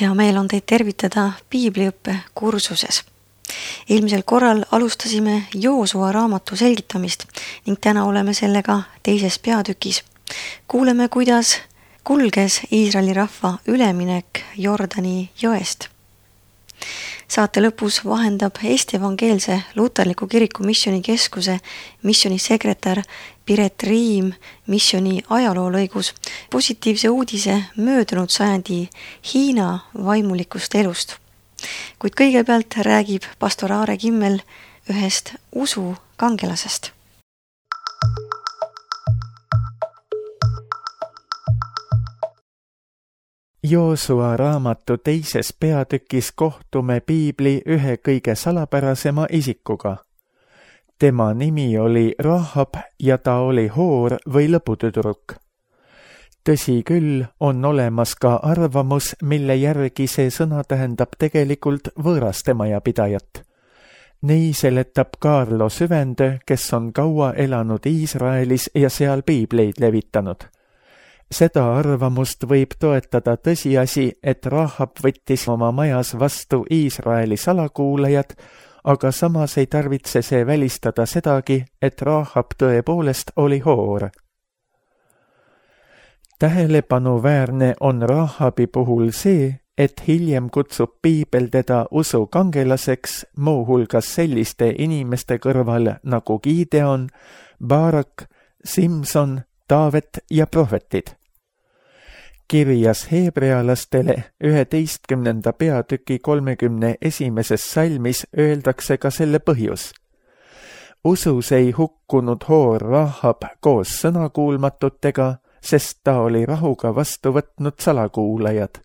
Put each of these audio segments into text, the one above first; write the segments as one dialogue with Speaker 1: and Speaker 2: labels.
Speaker 1: Hea meel on teid tervitada piibliõppe kursuses. Eelmisel korral alustasime Joosua raamatu selgitamist ning täna oleme sellega teises peatükis. Kuuleme, kuidas kulges Iisraeli rahva üleminek Jordani jõest. Saate lõpus vahendab Eesti Evangeelse Luterliku Kiriku missionikeskuse missionisekretär Piret Riim missioni ajaloolõigus positiivse uudise möödunud sajandi Hiina vaimulikust elust. Kuid kõigepealt räägib pastor Aare Kimmel ühest usu kangelasest.
Speaker 2: Joosua raamatu teises peatükis kohtume piibli ühe kõige salapärasema isikuga. Tema nimi oli Rahab ja ta oli hoor või lõputüdruk. Tõsi küll, on olemas ka arvamus, mille järgi see sõna tähendab tegelikult võõrastemajapidajat. Nii seletab Kaarlo Süvendö, kes on kaua elanud Iisraelis ja seal piibleid levitanud. Seda arvamust võib toetada tõsiasi, et Rahab võttis oma majas vastu Iisraeli salakuulajad, aga samas ei tarvitse see välistada sedagi, et Rahab tõepoolest oli hoor. Tähelepanuväärne on Rahabi puhul see, et hiljem kutsub piibel teda usu kangelaseks, muuhulgas selliste inimeste kõrval nagu Gideon, Barak, Simson, Taavet ja prohvetid. Kirjas heebrealastele 11. peatüki 31. salmis öeldakse ka selle põhjus. Usus ei hukkunud hoor Rahab koos sõnakuulmatutega, sest ta oli rahuga vastu võtnud salakuulajad.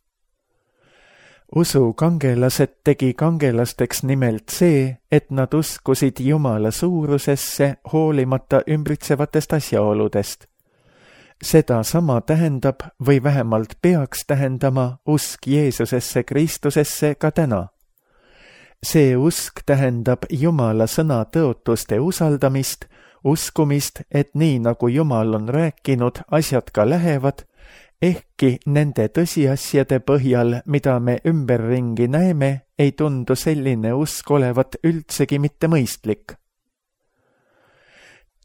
Speaker 2: Usu kangelased tegi kangelasteks nimelt see, et nad uskusid Jumala suurusesse hoolimata ümbritsevatest asjaoludest. Seda sama tähendab või vähemalt peaks tähendama usk Jeesusesse Kristusesse ka täna. See usk tähendab Jumala sõna tõotuste usaldamist, uskumist, et nii nagu Jumal on rääkinud, asjad ka lähevad, ehkki nende tõsiasjade põhjal, mida me ümberringi näeme, ei tundu selline usk olevat üldsegi mitte mõistlik.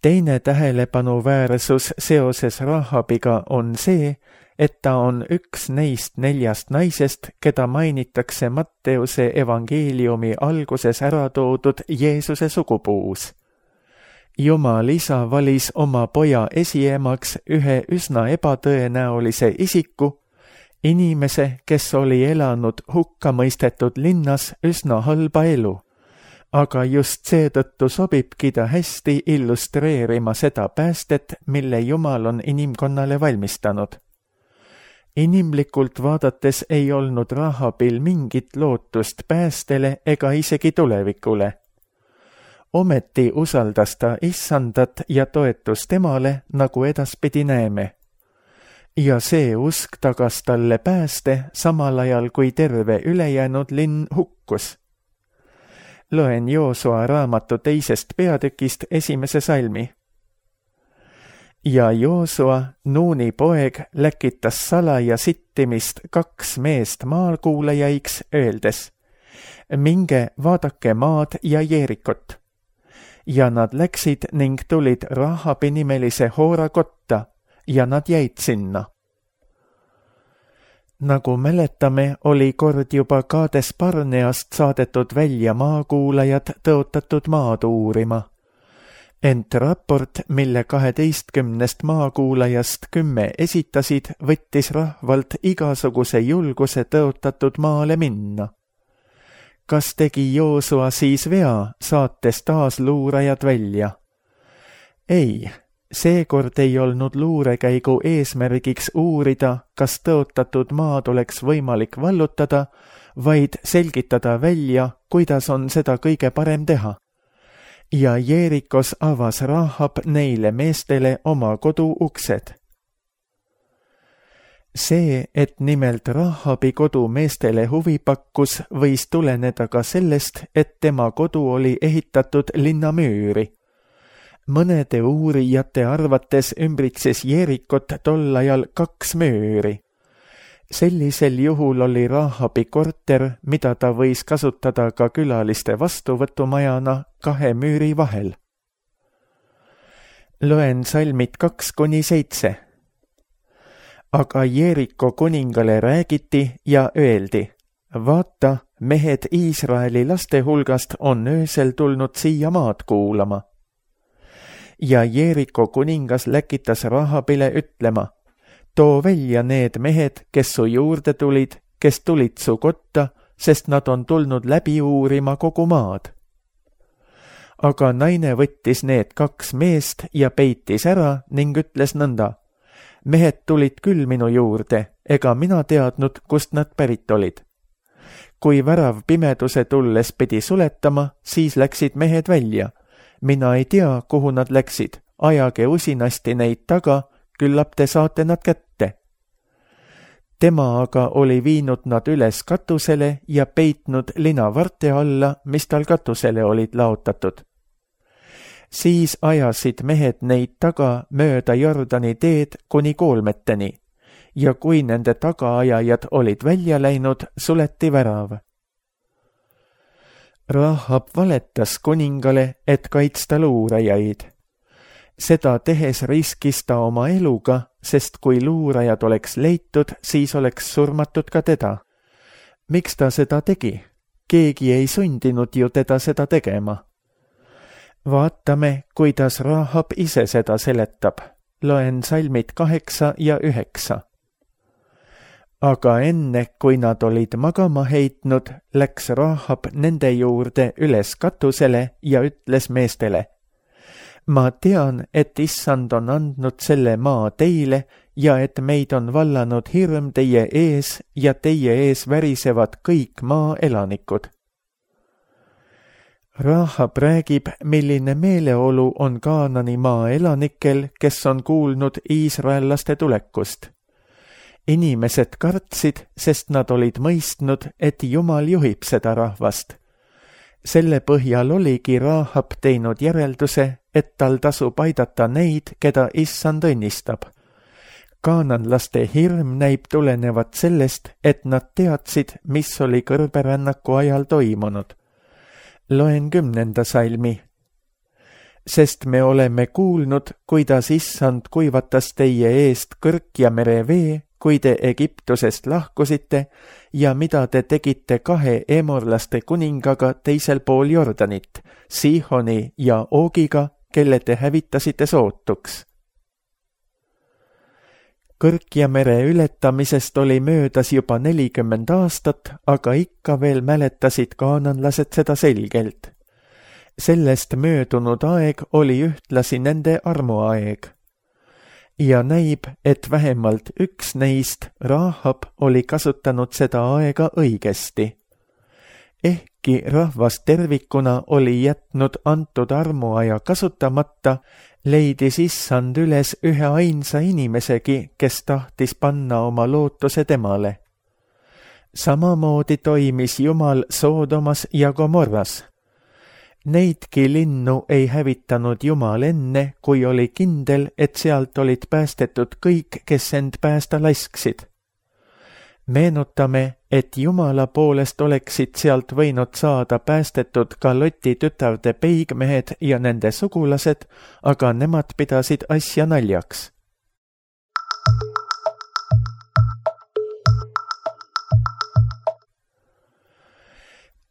Speaker 2: Teine tähelepanuväärsus seoses Rahabiga on see, et ta on üks neist 4 naisest, keda mainitakse Matteuse evangeeliumi alguses ära toodud Jeesuse sugupuus. Jumal isa valis oma poja esiemaks ühe üsna ebatõenäolise isiku, inimese, kes oli elanud hukkamõistetud linnas üsna halba elu. Aga just seetõttu sobibki ta hästi illustreerima seda päästet, mille Jumal on inimkonnale valmistanud. Inimlikult vaadates ei olnud Rahabil mingit lootust päästele ega isegi tulevikule. Ometi usaldas ta Issandat ja toetus temale, nagu edaspidi näeme. Ja see usk tagas talle pääste, samal ajal kui terve ülejäänud linn hukkus. Loen Joosua raamatu teisest peatükist 1. salmi. Ja Joosua, Nuuni poeg, läkitas salaja sittimist 2 meest maalkuulajaiks, öeldes: minge vaadake maad ja Jeerikot. Ja nad läksid ning tulid Rahabi nimelise hoora kotta ja nad jäid sinna. Nagu mäletame, oli kord juba Kaades Barneast saadetud välja maakuulajad tõotatud maad uurima. Ent raport, mille 12 maakuulajast 10 esitasid, võttis rahvalt igasuguse julguse tõotatud maale minna. Kas tegi Joosua siis vea, saates taas luurajad välja? Ei. Seekord ei olnud luurekäigu eesmärgiks uurida, kas tõotatud maad oleks võimalik vallutada, vaid selgitada välja, kuidas on seda kõige parem teha. Ja Jeerikos avas Rahab neile meestele oma kodu uksed. See, et nimelt Rahabi kodu meestele huvi pakkus, võis tuleneda ka sellest, et tema kodu oli ehitatud linnamüüri. Mõnede uurijate arvates ümbritses Jeerikot tol ajal 2 müüri. Sellisel juhul oli Rahabi korter, mida ta võis kasutada ka külaliste vastuvõtumajana 2 müüri vahel. Loen salmid 2-7. Aga Jeeriko kuningale räägiti ja öeldi, vaata, mehed Iisraeli laste hulgast on öösel tulnud siia maad kuulama. Ja Jeeriko kuningas läkitas Rahabile ütlema, too välja need mehed, kes su juurde tulid, kes tulid su kotta, sest nad on tulnud läbi uurima kogu maad. Aga naine võttis need 2 meest ja peitis ära ning ütles nõnda, mehed tulid küll minu juurde, ega mina teadnud, kust nad pärit olid. Kui värav pimeduse tulles pidi suletama, siis läksid mehed välja. Mina ei tea, kuhu nad läksid, ajage usinasti neid taga, küllap te saate nad kätte. Tema aga oli viinud nad üles katusele ja peitnud linavarte alla, mis tal katusele olid laotatud. Siis ajasid mehed neid taga mööda Jordani teed kuni koolmeteni ja kui nende tagaajajad olid välja läinud, suleti värav. Rahab valetas kuningale, et kaitsta luurajaid. Seda tehes riskis ta oma eluga, sest kui luurajad oleks leitud, siis oleks surmatud ka teda. Miks ta seda tegi? Keegi ei sundinud ju teda seda tegema. Vaatame, kuidas Rahab ise seda seletab. Loen salmid 8 ja 9. Aga enne, kui nad olid magama heitnud, läks Rahab nende juurde üles katusele ja ütles meestele, ma tean, et Issand on andnud selle maa teile ja et meid on vallanud hirm teie ees ja teie ees värisevad kõik maa elanikud. Rahab räägib, milline meeleolu on Kaanani maa elanikel, kes on kuulnud iisraellaste tulekust. Inimesed kartsid, sest nad olid mõistnud, et Jumal juhib seda rahvast. Selle põhjal oligi Rahab teinud järelduse, et tal tasub aidata neid, keda Issand õnnistab. Kaananlaste hirm näib tulenevat sellest, et nad teadsid, mis oli kõrberännaku ajal toimunud. Loen 10. salmi. Sest me oleme kuulnud, kuidas Issand kuivatas teie eest kõrk ja merevee, kui te Egiptusest lahkusite ja mida te tegite 2 emorlaste kuningaga teisel pool Jordanit, Sihoni ja Oogiga, kelle te hävitasite sootuks. Kõrk ja mere ületamisest oli möödas juba 40 aastat, aga ikka veel mäletasid kaananlased seda selgelt. Sellest möödunud aeg oli ühtlasi nende armuaeg. Ja näib, et vähemalt üks neist, Rahab, oli kasutanud seda aega õigesti. Ehkki rahvas tervikuna oli jätnud antud armuaja kasutamata, leidis Issand üles ühe ainsa inimesegi, kes tahtis panna oma lootuse temale. Samamoodi toimis Jumal Soodomas ja Gomorras. Neidki linnu ei hävitanud Jumal enne, kui oli kindel, et sealt olid päästetud kõik, kes end päästa lasksid. Meenutame, et Jumala poolest oleksid sealt võinud saada päästetud ka Loti tütarde peigmehed ja nende sugulased, aga nemad pidasid asja naljaks.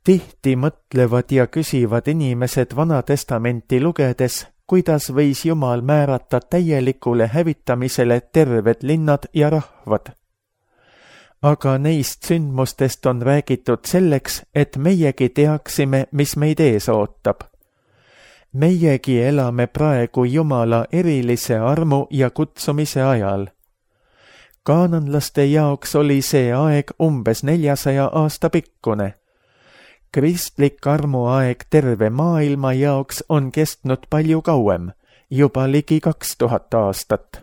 Speaker 2: Tihti mõtlevad ja küsivad inimesed Vana Testamenti lugedes, kuidas võis Jumal määrata täielikule hävitamisele terved linnad ja rahvad. Aga neist sündmustest on räägitud selleks, et meiegi teaksime, mis meid ees ootab. Meiegi elame praegu Jumala erilise armu ja kutsumise ajal. Kaananlaste jaoks oli see aeg umbes 400 aasta pikkune. Kristlik armuaeg terve maailma jaoks on kestnud palju kauem, juba ligi 2000 aastat.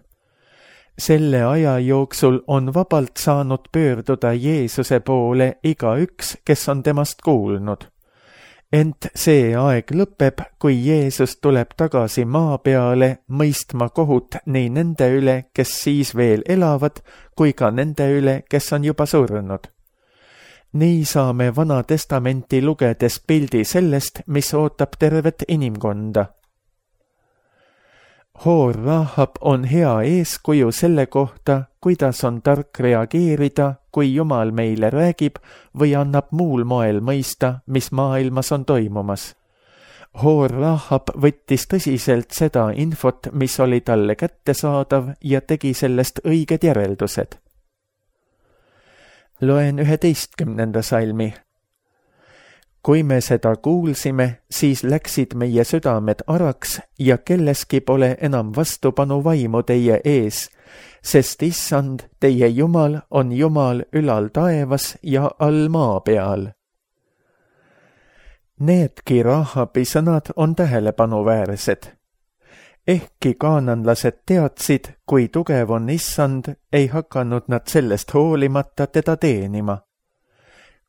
Speaker 2: Selle aja jooksul on vabalt saanud pöörduda Jeesuse poole igaüks, kes on temast kuulnud. Ent see aeg lõpeb, kui Jeesus tuleb tagasi maa peale mõistma kohut nii nende üle, kes siis veel elavad, kui ka nende üle, kes on juba surnud. Nii saame Vana Testamenti lugedes pildi sellest, mis ootab tervet inimkonda. Hoor Rahab on hea eeskuju selle kohta, kuidas on tark reageerida, kui Jumal meile räägib või annab muul moel mõista, mis maailmas on toimumas. Hoor Rahab võttis tõsiselt seda infot, mis oli talle kättesaadav ja tegi sellest õiged järeldused. Loen 11. salmi. Kui me seda kuulsime, siis läksid meie südamed araks ja kelleski pole enam vastupanu vaimu teie ees, sest Issand, teie Jumal on Jumal ülal taevas ja all maa peal. Needki Rahabi sõnad on tähelepanuväärsed. Ehkki kaananlased teadsid, kui tugev on Issand, ei hakanud nad sellest hoolimata teda teenima.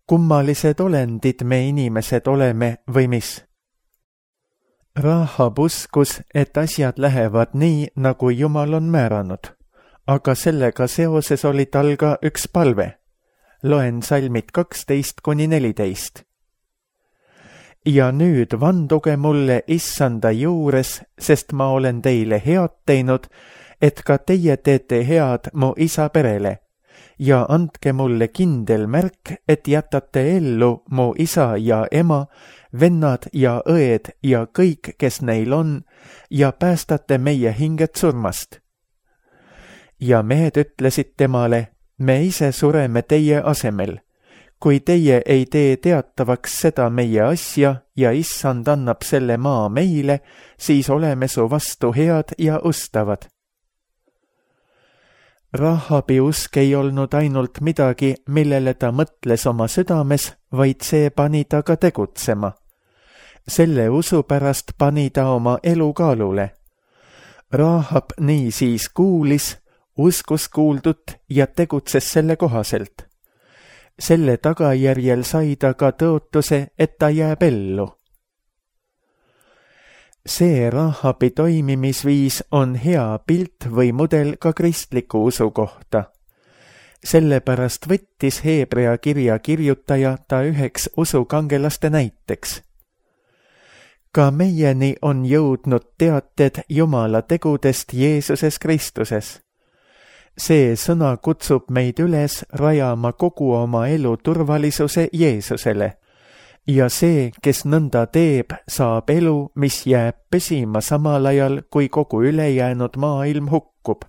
Speaker 2: Kummalised olendid me inimesed oleme või mis? Rahab uskus, et asjad lähevad nii, nagu Jumal on määranud, aga sellega seoses oli tal ka üks palve. Loen salmid 12-14. Ja nüüd vanduge mulle Issanda juures, sest ma olen teile head teinud, et ka teie teete head mu isa perele. Ja andke mulle kindel märk, et jätate ellu mu isa ja ema, vennad ja õed ja kõik, kes neil on, ja päästate meie hinged surmast. Ja mehed ütlesid temale, me ise sureme teie asemel. Kui teie ei tee teatavaks seda meie asja ja Issand annab selle maa meile, siis oleme su vastu head ja ustavad. Rahabi usk ei olnud ainult midagi, millele ta mõtles oma südames, vaid see pani ta ka tegutsema. Selle usu pärast pani ta oma elu kaalule. Rahab niisiis kuulis, uskus kuuldut ja tegutses selle kohaselt. Selle tagajärjel sai ta ka tõotuse, et ta jääb ellu. See Rahabi toimimisviis on hea pilt või mudel ka kristliku usu kohta. Sellepärast võttis Heebrea kirja kirjutaja ta üheks usukangelaste näiteks. Ka meieni on jõudnud teated Jumala tegudest Jeesuses Kristuses. See sõna kutsub meid üles rajama kogu oma elu turvalisuse Jeesusele. Ja see, kes nõnda teeb, saab elu, mis jääb püsima samal ajal, kui kogu ülejäänud maailm hukkub.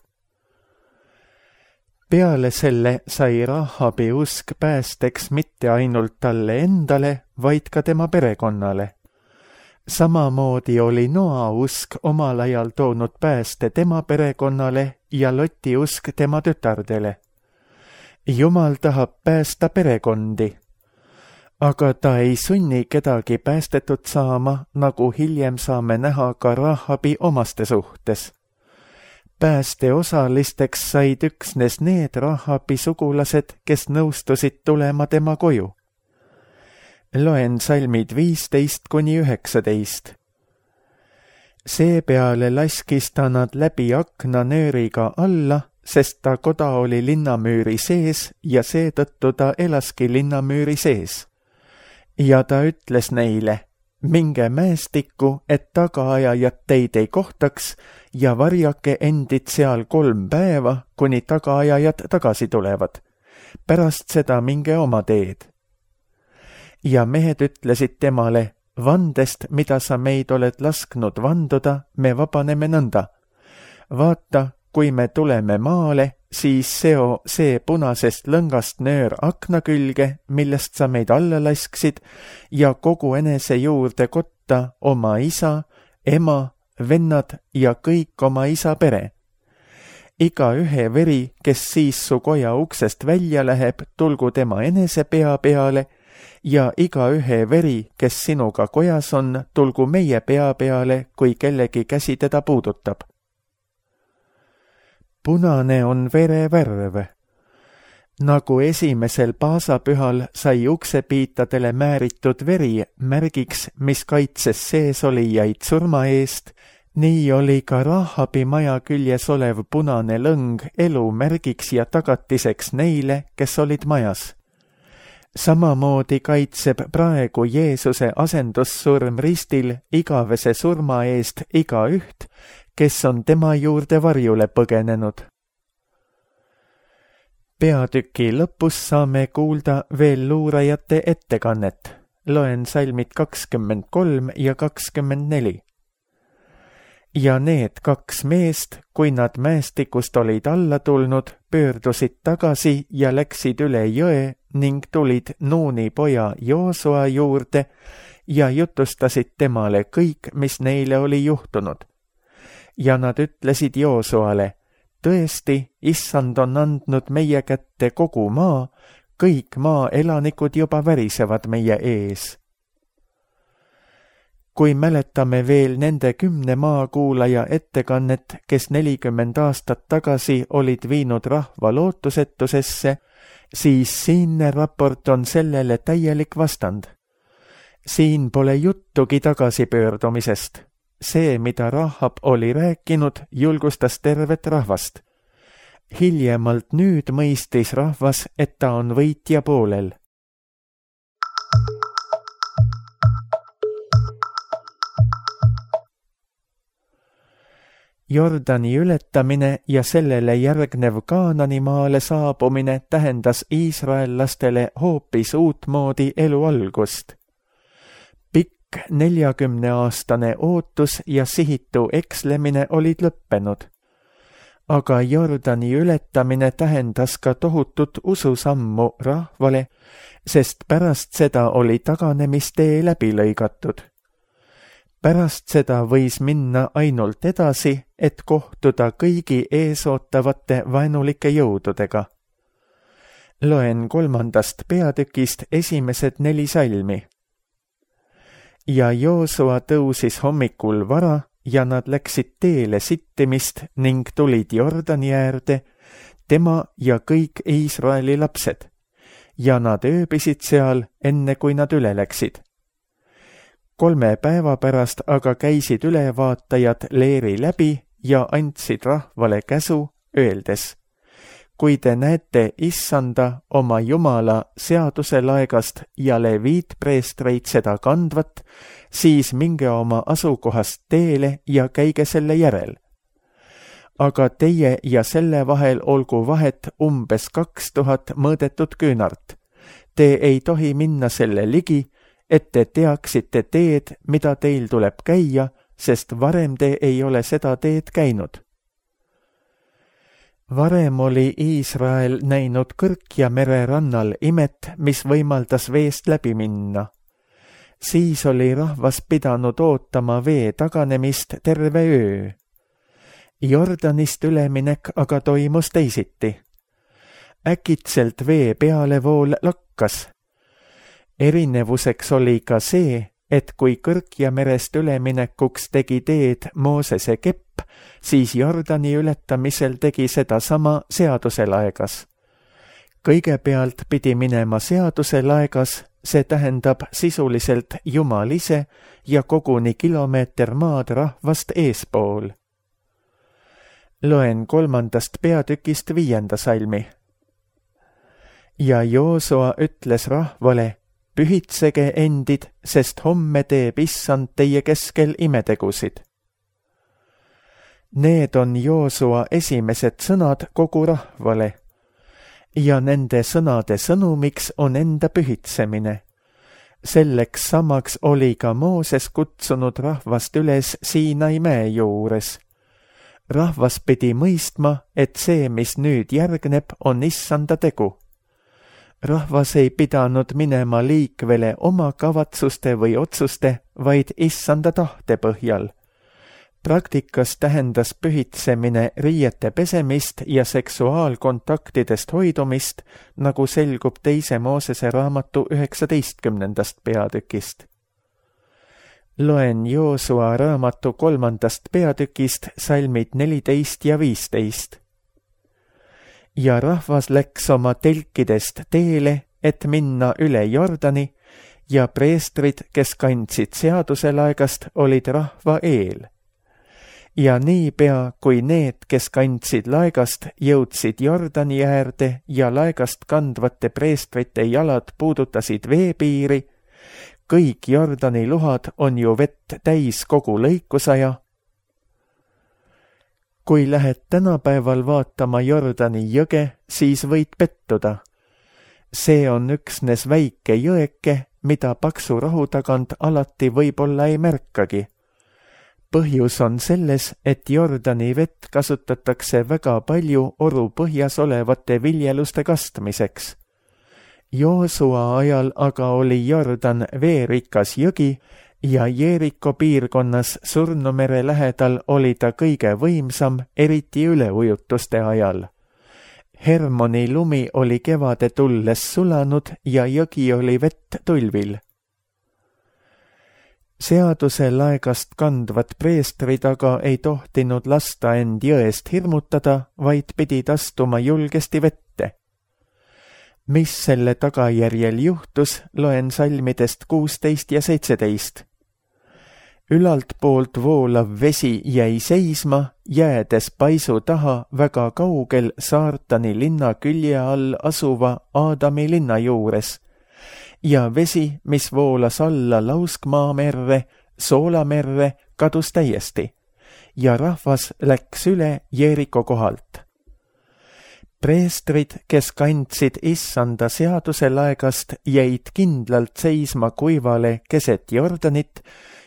Speaker 2: Peale selle sai Rahabi usk päästeks mitte ainult talle endale, vaid ka tema perekonnale. Samamoodi oli Noa usk omal ajal toonud pääste tema perekonnale ja Loti usk tema tütardele. Jumal tahab päästa perekondi. Aga ta ei sunni kedagi päästetud saama, nagu hiljem saame näha ka Rahabi omaste suhtes. Pääste osalisteks said üksnes need Rahabi sugulased, kes nõustusid tulema tema koju. Loen salmid 15-19. Seepeale laskis ta nad läbi akna nööriga alla, sest ta koda oli linnamüüri sees ja seetõttu ta elaski linnamüüri sees. Ja ta ütles neile, minge mäestikku, et tagaajajad teid ei kohtaks ja varjake endid seal 3 päeva, kuni tagaajajad tagasi tulevad. Pärast seda minge oma teed. Ja mehed ütlesid temale, vandest, mida sa meid oled lasknud vanduda, me vabaneme nõnda. Vaata, kui me tuleme maale, siis seo see punasest lõngast nöör akna külge, millest sa meid alla lasksid, ja kogu enese juurde kotta oma isa, ema, vennad ja kõik oma isa pere. Iga ühe veri, kes siis su koja uksest välja läheb, tulgu tema enese pea peale, ja iga ühe veri, kes sinuga kojas on, tulgu meie pea peale, kui kellegi käsi teda puudutab. Punane on vere värv. Nagu esimesel paasapühal sai uksepiitadele määritud veri märgiks, mis kaitses seesolijaid surma eest, nii oli ka Rahabi maja küljes olev punane lõng elu märgiks ja tagatiseks neile, kes olid majas. Samamoodi kaitseb praegu Jeesuse asendussurm ristil igavese surma eest igaüht, kes on tema juurde varjule põgenenud. Peatüki lõpus saame kuulda veel luurajate ettekannet. Loen salmid 23 ja 24. Ja need 2 meest, kui nad mäestikust olid alla tulnud, pöördusid tagasi ja läksid üle jõe ning tulid Nuuni poja Joosua juurde ja jutustasid temale kõik, mis neile oli juhtunud. Ja nad ütlesid Joosuale, tõesti, Issand on andnud meie kätte kogu maa, kõik maa elanikud juba värisevad meie ees. Kui mäletame veel nende 10 maakuulaja ettekannet, kes 40 aastat tagasi olid viinud rahva lootusetusesse, siis siinne raport on sellele täielik vastand. Siin pole juttugi tagasipöördumisest. See, mida Rahab oli rääkinud, julgustas tervet rahvast. Hiljemalt nüüd mõistis rahvas, et ta on võitja poolel. Jordani ületamine ja sellele järgnev Kaanani maale saabumine tähendas iisraellastele hoopis uutmoodi elu algust. Pikk 40-aastane ootus ja sihitu ekslemine olid lõppenud. Aga Jordani ületamine tähendas ka tohutut ususammu rahvale, sest pärast seda oli taganemistee läbi lõigatud. Pärast seda võis minna ainult edasi, et kohtuda kõigi eesootavate vaenulike jõududega. Loen 3. peatükist esimesed 4 salmi. Ja Joosua tõusis hommikul vara ja nad läksid teele sittimist ning tulid Jordani äärde, tema ja kõik Iisraeli lapsed, ja nad ööbisid seal, enne kui nad üle läksid. 3 päeva pärast aga käisid ülevaatajad leeri läbi ja andsid rahvale käsu, öeldes, kui te näete Issanda oma Jumala seaduselaegast ja leviitpreestreid seda kandvat, siis minge oma asukohast teele ja käige selle järel. Aga teie ja selle vahel olgu vahet umbes 2000 mõõdetud küünart. Te ei tohi minna selle ligi, et te teaksite teed, mida teil tuleb käia, sest varem te ei ole seda teed käinud. Varem oli Iisrael näinud Kõrkja mere rannal imet, mis võimaldas veest läbi minna. Siis oli rahvas pidanud ootama vee taganemist terve öö. Jordanist üleminek aga toimus teisiti. Äkitselt vee pealevool lakkas. Erinevuseks oli ka see, et kui Kõrkja merest üleminekuks tegi teed Moosese kepp, siis Jordani ületamisel tegi seda sama seaduselaegas. Kõigepealt pidi minema seaduselaegas, see tähendab sisuliselt Jumal ise ja koguni kilomeeter maad rahvast eespool. Loen 3. peatükist 5. salmi. Ja Joosua ütles rahvale, pühitsege endid, sest homme teeb Issand teie keskel imetegusid. Need on Joosua esimesed sõnad kogu rahvale. Ja nende sõnade sõnumiks on enda pühitsemine. Selleks samaks oli ka Mooses kutsunud rahvast üles Siinai mäe juures. Rahvas pidi mõistma, et see, mis nüüd järgneb, on Issanda tegu. Rahvas ei pidanud minema liikvele oma kavatsuste või otsuste, vaid Issanda tahte põhjal. Praktikas tähendas pühitsemine riiete pesemist ja seksuaalkontaktidest hoidumist, nagu selgub 2. Moosese raamatu 19. peatükist. Loen Joosua raamatu 3. peatükist salmid 14 ja 15. ja rahvas läks oma telkidest teele, et minna üle Jordani, ja preestrid, kes kandsid seaduselaegast, olid rahva eel. Ja niipea, kui need, kes kandsid laegast, jõudsid Jordani äärde ja laegast kandvate preestrite jalad puudutasid veepiiri, kõik Jordani luhad on ju vett täis kogu lõikusaja. Kui lähed tänapäeval vaatama Jordani jõge, siis võid pettuda. See on üksnes väike jõeke, mida paksu rahu tagant alati võib-olla ei märkagi. Põhjus on selles, et Jordani vett kasutatakse väga palju oru põhjas olevate viljeluste kastmiseks. Joosua ajal aga oli Jordan veerikas jõgi ja Jeeriko piirkonnas Surnumere lähedal oli ta kõige võimsam, eriti üleujutuste ajal. Hermoni lumi oli kevade tulles sulanud ja jõgi oli vett tulvil. Seaduse laegast kandvad preestrid aga ei tohtinud lasta end jõest hirmutada, vaid pidid astuma julgesti vette. Mis selle tagajärjel juhtus, loen salmidest 16 ja 17. Ülalt poolt voolav vesi jäi seisma, jäädes paisu taha väga kaugel Saartani linna külje all asuva Aadami linna juures, ja vesi, mis voolas alla Lauskmaamerre, Soolamerre, kadus täiesti, ja rahvas läks üle Jeeriko kohalt. Preestrid, kes kandsid issanda seaduselaegast, jäid kindlalt seisma kuivale keset Jordanit,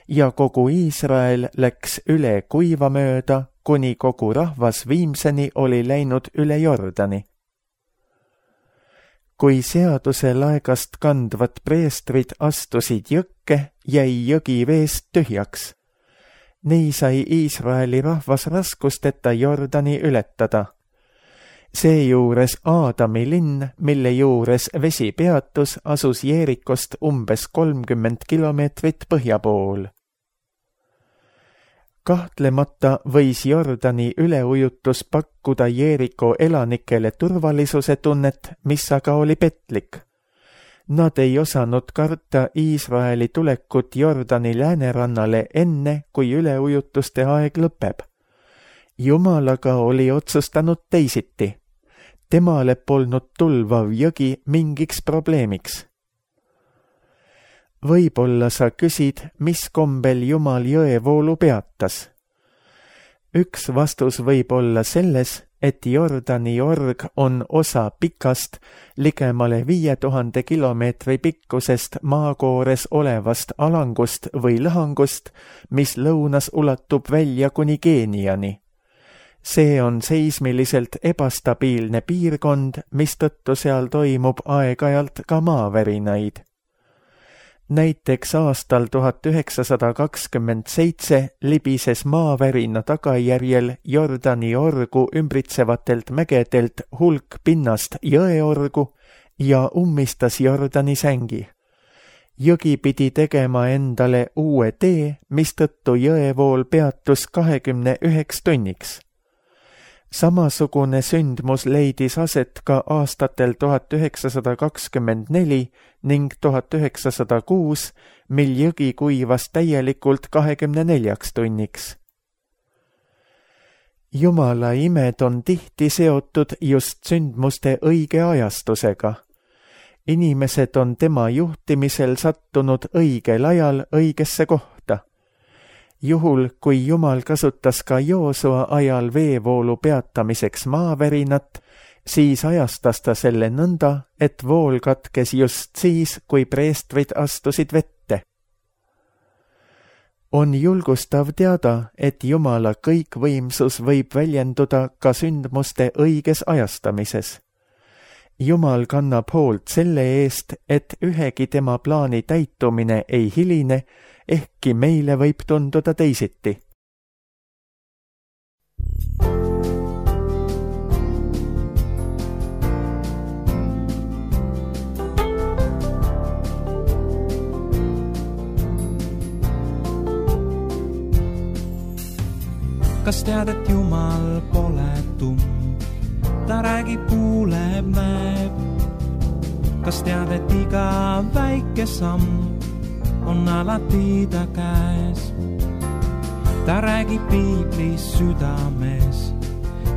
Speaker 2: ja kogu Iisrael läks üle kuiva mööda, kuni kogu rahvas viimseni oli läinud üle Jordani. Kui seaduse laegast kandvad preestrid astusid jõkke, jäi jõgi veest tühjaks. Nii sai Iisraeli rahvas raskusteta Jordani ületada. Seejuures Aadami linn, mille juures vesi peatus, asus Jeerikost umbes 30 kilomeetrit põhja pool. Kahtlemata võis Jordani üleujutus pakkuda Jeeriko elanikele turvalisuse tunnet, mis aga oli petlik. Nad ei osanud karta Iisraeli tulekut Jordani läänerannale enne, kui üleujutuste aeg lõpeb. Jumal aga oli otsustanud teisiti. Temale polnud tulvav jõgi mingiks probleemiks. Võib-olla sa küsid, mis kombel Jumal jõevoolu peatas. Üks vastus võib olla selles, et Jordani org on osa pikast, ligemale 5000 kilomeetri pikkusest maakoores olevast alangust või lõhangust, mis lõunas ulatub välja kuni Keeniani. See on seismiliselt ebastabiilne piirkond, mistõttu seal toimub aeg-ajalt ka maavärinaid. Näiteks aastal 1927 libises maavärina tagajärjel Jordani orgu ümbritsevatelt mägedelt hulk pinnast jõeorgu ja ummistas Jordani sängi. Jõgi pidi tegema endale uue tee, mistõttu jõevool peatus 29 tunniks. Samasugune sündmus leidis aset ka aastatel 1924 ning 1906, mil jõgi kuivas täielikult 24 tunniks. Jumala imed on tihti seotud just sündmuste õige ajastusega. Inimesed on tema juhtimisel sattunud õigel ajal õigesse kohta. Juhul, kui Jumal kasutas ka Joosua ajal veevoolu peatamiseks maavärinat, siis ajastas ta selle nõnda, et vool katkes just siis, kui preestrid astusid vette. On julgustav teada, et Jumala kõikvõimsus võib väljenduda ka sündmuste õiges ajastamises. Jumal kannab hoolt selle eest, et ühegi tema plaani täitumine ei hiline, ehkki meile võib tunduda teisiti.
Speaker 3: Kas tead, et Jumal pole tumm? ta räägib, kuuleb, näeb. Kas tead, et iga väike samm on alati ta käes? Ta räägib piiblis südames,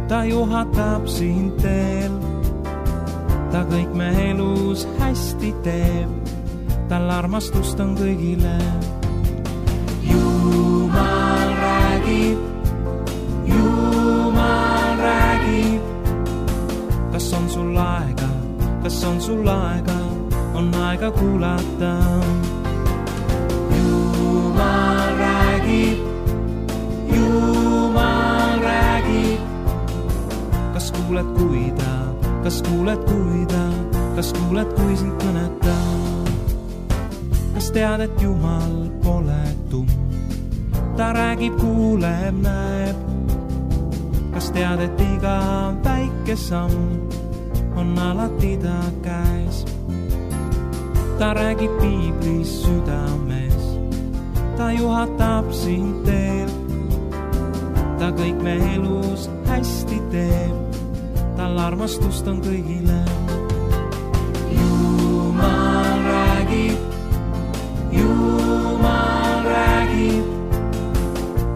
Speaker 3: ta juhatab sind teel. Ta kõik me elus hästi teeb, tal armastust on kõigile. Jumal räägib, kas on sul aega, kas on sul aega, on aega kuulata. Jumal räägib, kas kuuled, kui sind kõnetab? Kas tead, et Jumal pole tumm? Ta räägib, kuuleb, näeb. Kas tead, et iga väike samm on alati ta käes? Ta räägib piiblis südames, ta juhatab sind teel. Ta kõik me elus hästi teeb, tal armastust on kõigile. Jumal räägib,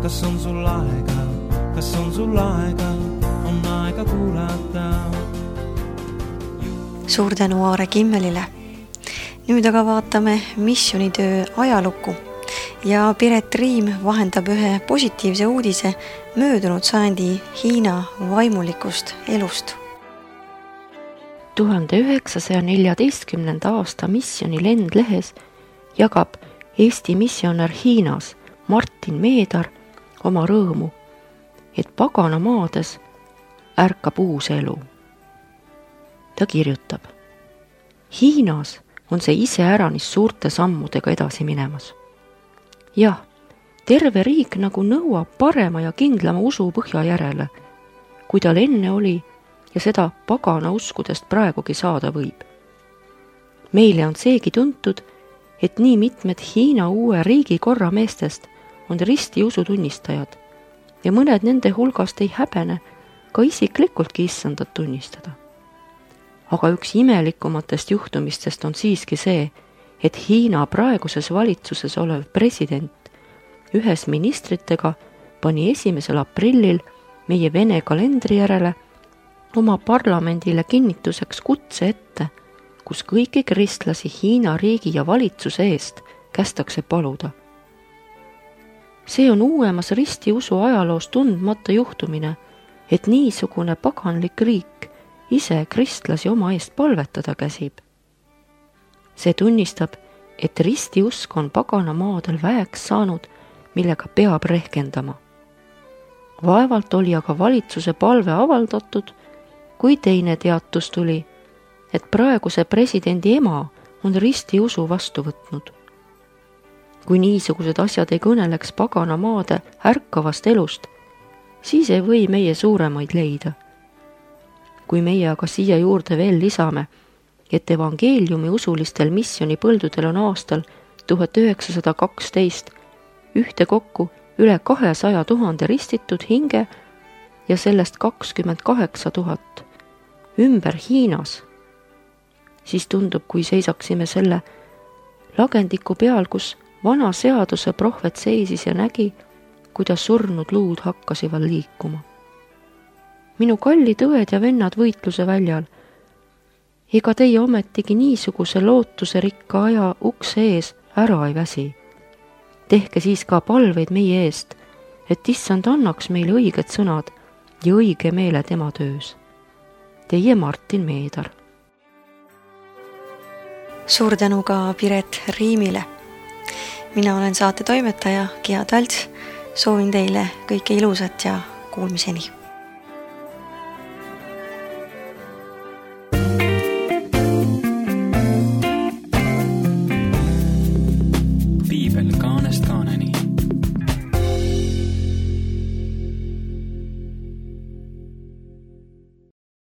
Speaker 3: kas on sul aega, on aega kuulata.
Speaker 1: Suur tänu Aare Kimmelile. Nüüd aga vaatame missioonitöö ajalukku ja Piret Riim vahendab ühe positiivse uudise möödunud sajandi Hiina vaimulikust elust.
Speaker 4: 1914. aasta missiooni lendlehes jagab Eesti missionär Hiinas Martin Meedar oma rõõmu, et paganamaades ärkab uus elu. Ta kirjutab: Hiinas on see iseäranis suurte sammudega edasi minemas. Jah, terve riik nagu nõuab parema ja kindlama usu põhja järele, kui tal enne oli ja seda pagana uskudest praegugi saada võib. Meile on seegi tuntud, et nii mitmed Hiina uue riigikorra meestest on ristiusu tunnistajad ja mõned nende hulgast ei häbene ka isiklikultki issandat tunnistada. Aga üks imelikumatest juhtumistest on siiski see, et Hiina praeguses valitsuses olev president ühes ministritega pani 1. aprillil meie Vene kalendri järele oma parlamendile kinnituseks kutse ette, kus kõiki kristlasi Hiina riigi ja valitsuse eest kästakse paluda. See on uuemas ristiusu ajaloos tundmata juhtumine, et niisugune paganlik riik ise kristlasi oma eest palvetada käsib. See tunnistab, et ristiusk on paganamaadel väeks saanud, millega peab rehkendama. Vaevalt oli aga valitsuse palve avaldatud, kui teine teatus tuli, et praeguse presidendi ema on ristiusu vastu võtnud. Kui niisugused asjad ei kõneleks paganamaade ärkavast elust, siis ei või meie suuremaid leida. Kui meie aga siia juurde veel lisame, et evangeeliumi usulistel missioonipõldudel on aastal 1912 ühtekokku üle 200 000 ristitud hinge ja sellest 28 000 ümber Hiinas, siis tundub, kui seisaksime selle lagendiku peal, kus vana seaduse prohvet seisis ja nägi, kuidas surnud luud hakkasivad liikuma. Minu kallid õed ja vennad võitluse väljal, ega teie ometigi niisuguse lootuse rikka aja ukse ees ära ei väsi. Tehke siis ka palveid meie eest, et issand annaks meile õiged sõnad ja õige meele tema töös. Teie Martin Meedar.
Speaker 1: Suur tänu ka Piret Riimile. Mina olen saate toimetaja Gea Talts. Soovin teile kõike ilusat ja kuulmiseni.